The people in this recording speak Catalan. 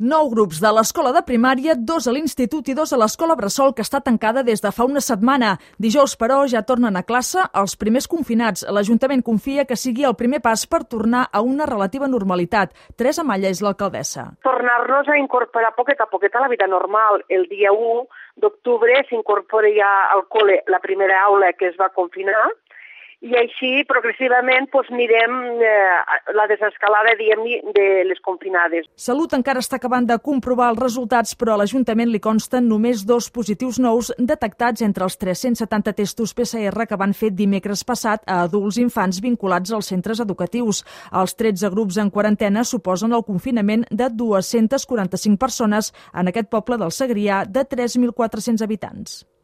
9 grups de l'escola de primària, 2 a l'institut i 2 a l'escola bressol, que està tancada des de fa una setmana. Dijous, però, ja tornen a classe els primers confinats. L'Ajuntament confia que sigui el primer pas per tornar a una relativa normalitat. Teresa Malla és l'alcaldessa. Tornar-nos a incorporar poquet a poquet a la vida normal. El dia 1 d'octubre s'incorpora ja al col·le la primera aula que es va confinar, i així progressivament mirem la desescalada, de les confinades. Salut encara està acabant de comprovar els resultats, però a l'Ajuntament li consten només 2 positius nous detectats entre els 370 testos PCR que van fer dimecres passat a adults i infants vinculats als centres educatius. Els 13 grups en quarantena suposen el confinament de 245 persones en aquest poble del Segrià de 3.400 habitants.